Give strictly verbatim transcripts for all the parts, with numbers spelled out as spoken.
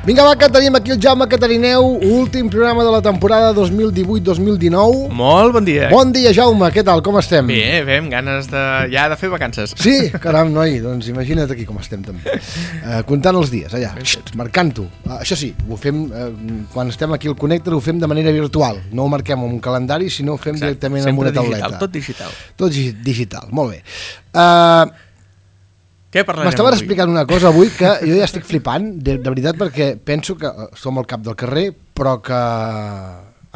Vinga, va, que tenim aquí el Jaume Catarineu, últim programa de la temporada dos mil divuit dos mil dinou. Molt bon dia. Bon dia, Jaume, què tal, com estem? Bé, bé, amb ganes de, ja de fer vacances. Sí? Caram, noi, doncs imagina't aquí com estem també. Uh, comptant els dies, allà, Xxt, marcant-ho. Uh, això sí, ho fem, uh, quan estem aquí al Connector, ho fem de manera virtual. No ho marquem en un calendari, sinó ho fem Exacte. directament en una tauleta. Digital, tot digital. Tot digital, molt bé. Uh, Què parlarem M'estaves avui? explicant una cosa avui que jo ja estic flipant, de, de veritat, perquè penso que som al cap del carrer, però que...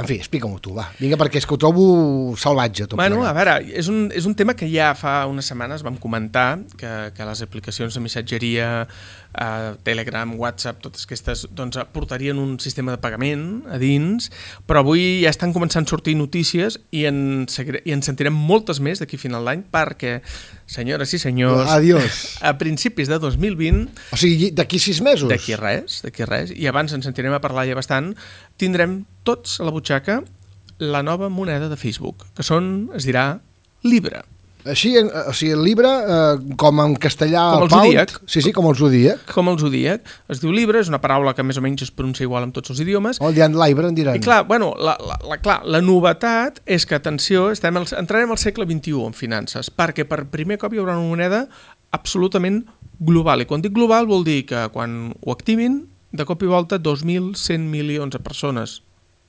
En fi, explica-m'ho tu, va. Vinga, perquè és que ho trobo salvatge. Tot Bueno, plegat. a veure, és un, és un tema que ja fa unes setmanes vam comentar, que, que les aplicacions de missatgeria, eh, Telegram, WhatsApp, totes aquestes, doncs portarien un sistema de pagament a dins, però avui ja estan començant a sortir notícies i en, i en sentirem moltes més d'aquí a final d'any, perquè, senyores i senyors, Adiós. a principis de dos mil vint... O sigui, d'aquí sis mesos? D'aquí res, d'aquí res, i abans ens sentirem a parlar ja bastant, tindrem tots a la butxaca la nova moneda de Facebook, que són, es dirà, Libra. Així, o sigui, el Libra, eh, com en castellà... Com el pound, zodíac. Sí, sí, com el zodíac. Com el zodíac. Es diu Libra, és una paraula que més o menys es pronuncia igual en tots els idiomes. O el diran Libra, en diran. I clar, bueno, la, la, la, clar, la novetat és que, atenció, estem al, entrarem al segle vint-i-u en finances, perquè per primer cop hi haurà una moneda absolutament global. I quan dic global vol dir que quan ho activin, de cop i volta dos mil cent milions de persones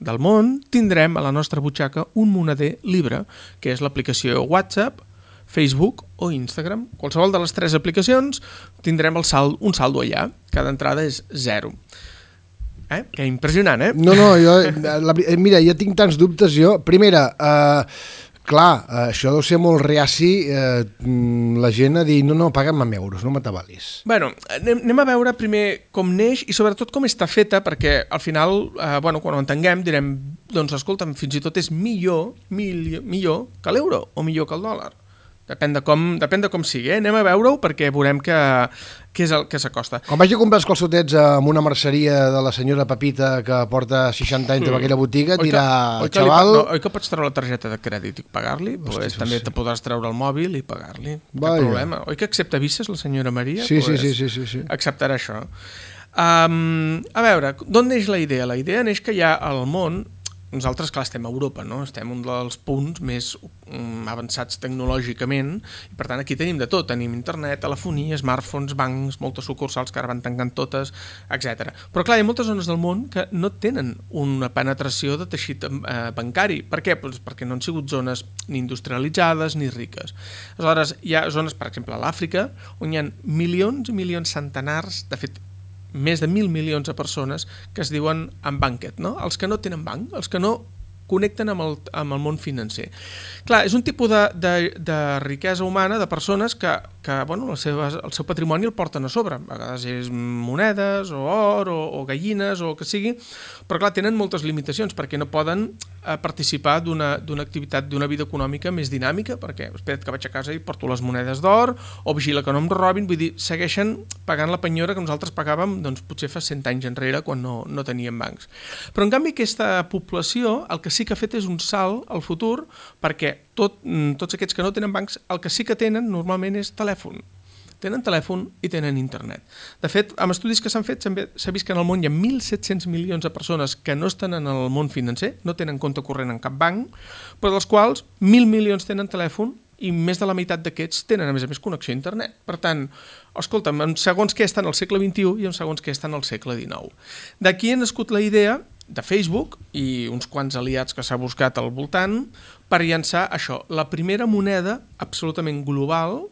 del món tindrem a la nostra butxaca un moneder Libra, que és l'aplicació WhatsApp, Facebook o Instagram. Qualsevol de les tres aplicacions tindrem el sal, un saldo allà. Cada entrada és zero. Eh? Que impressionant, eh? No, no, jo... La, mira, jo tinc tants dubtes, jo. Primera, eh, clar, això deu ser molt reaci, eh, la gent a dir, no, no, paga'm amb euros, no m'atabalis. Bueno, anem, anem a veure primer com neix i sobretot com està feta, perquè al final, eh, bueno, quan ho entenguem, direm, doncs escolta'm, fins i tot és millor, millor, millor que l'euro o millor que el dòlar. Depèn de com, depèn de com sigui, eh? Anem a veure-ho perquè veurem que, que és el que s'acosta. Quan vagi a comprar els calçotets en una merceria de la senyora Pepita que porta seixanta anys sí. en aquella botiga, et dirà, oi que, xaval... No, oi que pots treure la targeta de crèdit i pagar-li? Pues també te podràs treure el mòbil i pagar-li. Cap problema. Oi que accepta vices la senyora Maria? Sí, pues sí, sí, sí, sí. Acceptarà això. Um, a veure, d'on neix la idea? La idea neix que hi ha al món... Nosaltres, clar, estem a Europa, no? Estem un dels punts més um, avançats tecnològicament i, per tant, aquí tenim de tot. Tenim internet, telefonia, smartphones, bancs, moltes sucursals que ara van tancant totes, etcètera. Però, clar, hi ha moltes zones del món que no tenen una penetració de teixit eh, bancari. Per què? Pues perquè no han sigut zones ni industrialitzades ni riques. Aleshores, hi ha zones, per exemple, a l'Àfrica, on hi ha milions i milions, centenars, de fet, més de mil milions de persones que es diuen unbanked, no? Els que no tenen banc, els que no connecten amb el, amb el món financer. Clar, és un tipus de, de, de riquesa humana, de persones que, que bueno, el, seu, el seu patrimoni el porten a sobre. A vegades és monedes, o or, o, o gallines, o el que sigui, però clar, tenen moltes limitacions perquè no poden eh, participar d'una d'una activitat, d'una vida econòmica més dinàmica, perquè espera't que vaig a casa i porto les monedes d'or, o vigila que no em robin, vull dir, segueixen pagant la penyora que nosaltres pagàvem doncs, potser fa cent anys enrere quan no, no teníem bancs. Però en canvi aquesta població el que sí que ha fet és un salt al futur perquè tot, tots aquests que no tenen bancs el que sí que tenen normalment és telèfon. Tenen telèfon i tenen internet. De fet, amb estudis que s'han fet s'ha vist que en el món hi ha mil set-cents milions de persones que no estan en el món financer, no tenen compte corrent en cap banc, però dels quals mil milions tenen telèfon i més de la meitat d'aquests tenen, a més a més, connexió a internet. Per tant, escolta'm, en segons què estan al segle vint-i-u i en segons què estan al segle dinou. D'aquí ha nascut la idea de Facebook i uns quants aliats que s'ha buscat al voltant per llançar això, la primera moneda absolutament global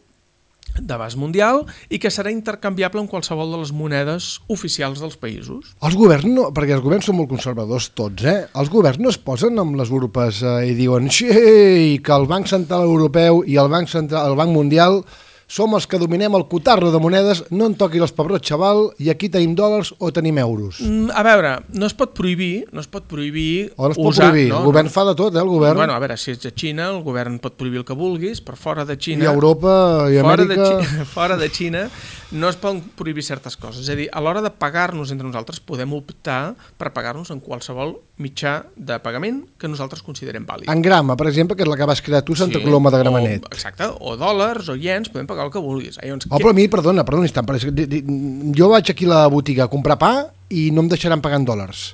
d'abast mundial i que serà intercanviable amb qualsevol de les monedes oficials dels països. Els governs, no, perquè els governs són molt conservadors tots, eh? Els governs no es posen amb les urpes eh, i diuen sí, que el Banc Central Europeu i el Banc Central, el Banc Mundial som els que dominem el cotarro de monedes, no en toqui els pebrots, xaval, i aquí tenim dòlars o tenim euros. Mm, a veure, no es pot prohibir, no es pot prohibir o no es pot usar, prohibir, no, el govern no. fa de tot, eh, el govern. Bueno, a veure, si ets de Xina, el govern pot prohibir el que vulguis, però fora de Xina... I Europa i fora Amèrica... De Xina, fora de Xina no es poden prohibir certes coses. És a dir, a l'hora de pagar-nos entre nosaltres podem optar per pagar-nos en qualsevol mitjà de pagament que nosaltres considerem vàlid. En grama, per exemple, que és la que vas crear tu, Santa sí, Coloma de Gramenet. O, exacte, o dòlars o iens, podem pagar el que vulguis. Llavors, oh, però a mi, perdona, perdona un instant, jo vaig aquí a la botiga a comprar pa i no em deixaran pagar en dòlars.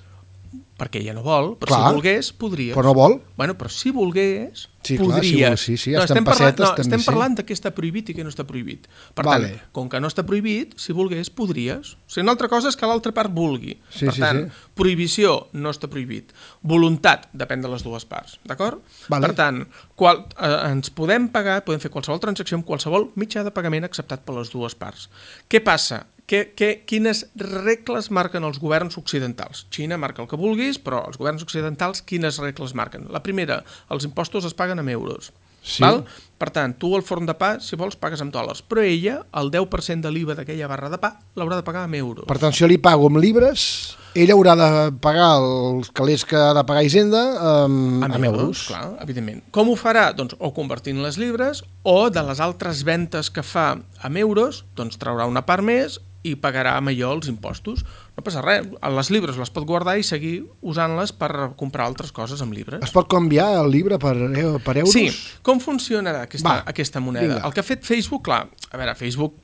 Perquè ella no vol, però Clar, si volgués, podries. Però no vol. Bueno, però si volgués, Sí, clar, si podries. vol, sí, sí, no, estem estem parlant, pessetes, no, també, estem sí. parlant de què està prohibit i què no està prohibit. Per Vale. tant, com que no està prohibit, si volgués, podries. O sigui, una altra cosa és que l'altra part vulgui. Sí, per sí, tant, sí. prohibició no està prohibit. Voluntat depèn de les dues parts, d'acord? Vale. Per tant, qual, eh, ens podem pagar, podem fer qualsevol transacció amb qualsevol mitjà de pagament acceptat per les dues parts. Què passa? Que, que, quines regles marquen els governs occidentals? Xina marca el que vulguis, però els governs occidentals quines regles marquen? La primera, els impostos es paguen amb euros. Sí. Val? Per tant, tu el forn de pa, si vols, pagues amb dòlars, però ella, el deu per cent de l'I V A d'aquella barra de pa, l'haurà de pagar amb euros. Per tant, si jo li pago amb llibres, ella haurà de pagar els calés que ha de pagar Hisenda amb, amb, amb euros. Clar, evidentment. Com ho farà? Doncs o convertint les llibres o de les altres ventes que fa amb euros, doncs traurà una part més i pagarà amb allò els impostos. No passa res, les llibres les pot guardar i seguir usant-les per comprar altres coses amb llibres. Es pot canviar el llibre per, per euros? Sí, com funcionarà aquesta, Va, aquesta moneda? vinga. El que ha fet Facebook, clar, a veure, Facebook,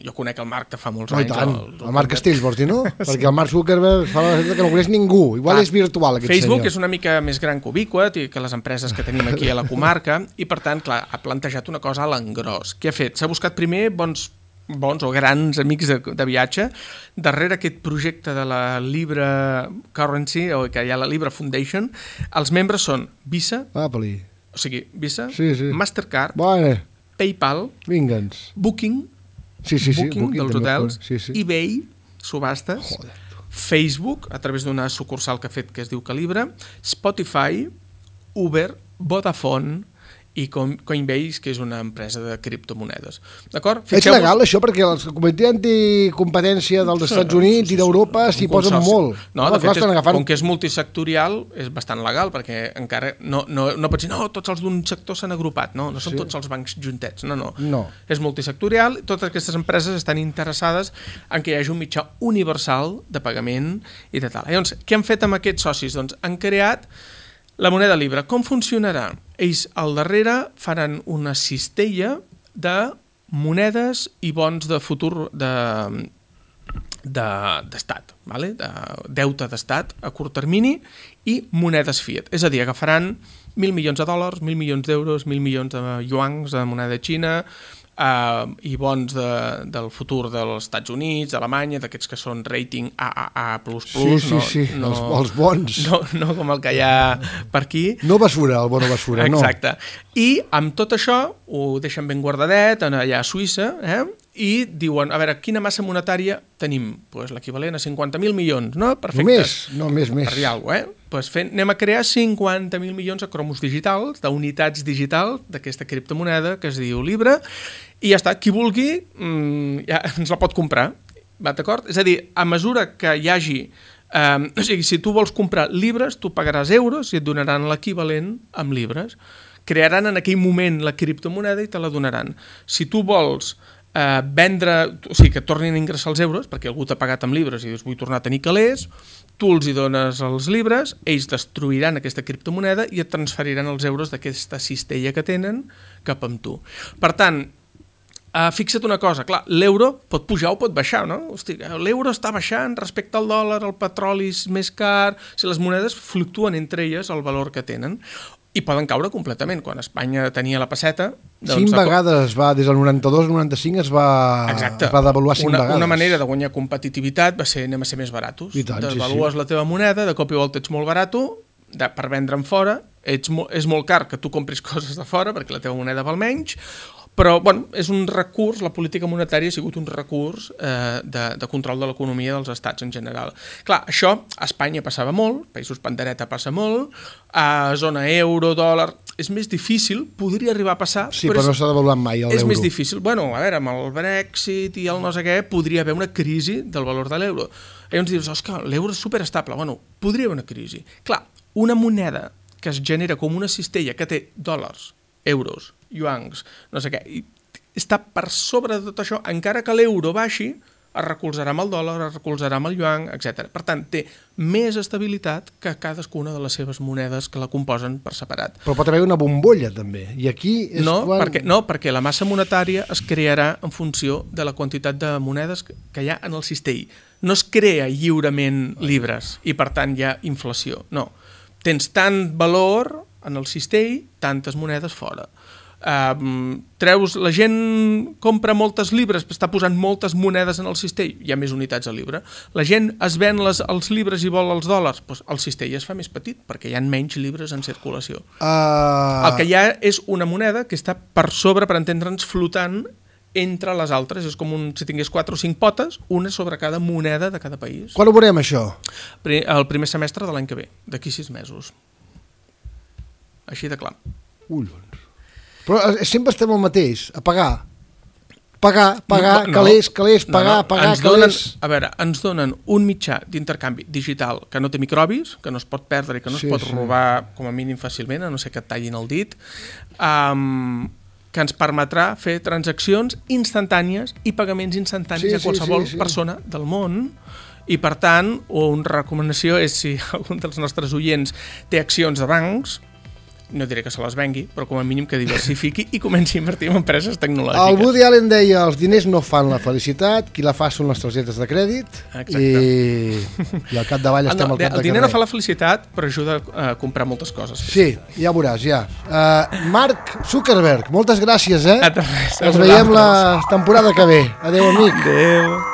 jo conec el Marc de fa molts No, i anys. tant. El, El Marc Castells, vols dir, no? Perquè el Mark Zuckerberg fa la que no coneix ningú. Igual Clar, és virtual, aquest Facebook senyor. és una mica més gran que Ubiquat i que les empreses que tenim aquí a la comarca i, per tant, clar, ha plantejat una cosa a l'engròs. Què ha fet? S'ha buscat primer bons bons o grans amics de, de viatge darrere aquest projecte de la Libra Currency, o que hi ha la Libra Foundation. Els membres són Visa, Ah, peli. o sigui, Visa, Sí, sí. Mastercard, Bueno, PayPal, vinga'ns. Booking, Sí, sí, sí. Booking, dels també. hotels, Sí, sí. eBay, subhastes, Joder. Facebook, a través d'una sucursal que ha fet que es diu Calibra, Spotify, Uber, Vodafone i Coinbase, que és una empresa de criptomonedes. D'acord? És legal això perquè el comitè anticompetència dels Estats Units i d'Europa s'hi posen molt. No, Home, de fet, clar, estan és, agafant... com que és multisectorial, és bastant legal, perquè encara no, no, no pots dir, no, tots els d'un sector s'han agrupat, no, no són Sí. tots els bancs juntets, no, no. No. És multisectorial, totes aquestes empreses estan interessades en que hi hagi un mitjà universal de pagament i de tal. Llavors, què han fet amb aquests socis? Doncs han creat la moneda Libra. Com funcionarà? Ells al darrere faran una cistella de monedes i bons de futur de d'estat, de, vale? De deute d'estat a curt termini i monedes fiat. És a dir, agafaran mil milions de dòlars, mil milions d'euros, mil milions de yuans de moneda xina, Uh, i bons de, del futur dels Estats Units, d'Alemanya, d'aquests que són rating A A A plus plus, Sí, sí, no, sí, no, els, els bons. no, no com el que hi ha per aquí. No basura, el bono basura, no. Exacte. I amb tot això ho deixen ben guardadet allà a Suïssa, eh? I diuen, a veure, quina massa monetària tenim? Pues l'equivalent a cinquanta mil milions, no? Perfecte. Només? No, més, més. Per dir alguna cosa, eh? Pues fent, anem a crear cinquanta mil milions de cromos digitals, d'unitats digitals d'aquesta criptomoneda que es diu Libra, i ja està, qui vulgui mmm, ja ens la pot comprar, va, d'acord? És a dir, a mesura que hi hagi... Um, o sigui, si tu vols comprar llibres, tu pagaràs euros i et donaran l'equivalent amb llibres. Crearan en aquell moment la criptomoneda i te la donaran. Si tu vols eh, vendre, o sigui, que tornin a ingressar els euros, perquè algú t'ha pagat amb llibres i dius vull tornar a tenir calés, tu els hi dones els llibres, ells destruiran aquesta criptomoneda i et transferiran els euros d'aquesta cistella que tenen cap amb tu. Per tant, Uh, fixa't una cosa, clar, l'euro pot pujar o pot baixar, no? Hosti, l'euro està baixant respecte al dòlar, el petroli és més car, si les monedes fluctuen entre elles el valor que tenen i poden caure completament. Quan Espanya tenia la pesseta... Doncs cinc vegades es va, des del noranta-dos al noranta-cinc es va, Exacte. es va devaluar cinc una, vegades. Una manera de guanyar competitivitat va ser anem a ser més baratos. I tant, Devalues sí, sí. la teva moneda, de cop i volta ets molt barato, de, per vendre'n fora, ets mo, és molt car que tu compris coses de fora perquè la teva moneda val menys, però bueno, és un recurs, la política monetària ha sigut un recurs eh, de, de control de l'economia dels estats en general. Clar, això a Espanya passava molt, països pandereta passa molt, a zona euro, dòlar, és més difícil, podria arribar a passar, Sí, però, però no s'ha devaluat mai l'euro. és més difícil. Bueno, a veure, amb el Brexit i el no sé què, podria haver una crisi del valor de l'euro. I llavors dius, osca, l'euro és superestable. Bueno, podria haver una crisi. Clar, una moneda que es genera com una cistella que té dòlars, euros, yuans, no sé què, i està per sobre de tot això, encara que l'euro baixi, es recolzarà amb el dòlar, es recolzarà amb el yuan, etcètera. Per tant, té més estabilitat que cadascuna de les seves monedes que la composen per separat. Però pot haver una bombolla, també. I aquí és No, quan... perquè, no, perquè la massa monetària es crearà en funció de la quantitat de monedes que hi ha en el cistell. no es crea lliurement llibres i per tant hi ha inflació. No, tens tant valor en el cistell, tantes monedes fora. Uh, treus, la gent compra moltes llibres, està posant moltes monedes en el cistell, hi ha més unitats al llibre. La gent es ven les, els llibres i vol els dòlars, doncs el cistell es fa més petit perquè hi ha menys llibres en circulació. Uh... El que hi ha és una moneda que està per sobre, per entendre'ns, flotant entre les altres. És com un, si tingués quatre o cinc potes, una sobre cada moneda de cada país. Quan ho veurem, això? El primer semestre de l'any que ve, d'aquí sis mesos. Així de clar. Collons. Però sempre estem el mateix, a pagar. Pagar, pagar, no, calés, calés, pagar, no, no. pagar, ens donen, calés. A veure, ens donen un mitjà d'intercanvi digital que no té microbis, que no es pot perdre i que no sí, es pot sí. robar com a mínim fàcilment, a no ser que et tallin el dit, um, que ens permetrà fer transaccions instantànies i pagaments instantanis sí, a qualsevol sí, sí, sí. persona del món. I per tant, una recomanació és si algun dels nostres oients té accions de bancs, no diré que se les vengui, però com a mínim que diversifiqui i comenci a invertir en empreses tecnològiques. El Woody Allen deia, els diners no fan la felicitat, qui la fa són les targetes de crèdit. Exacte. I, i al capdavall estem no, al cap de El diner carrer. no fa la felicitat, però ajuda a comprar moltes coses. Sí, ja veuràs, ja. Uh, Mark Zuckerberg, moltes gràcies, eh? Res, Ens veiem la temporada que ve. Adéu, amic. Adéu.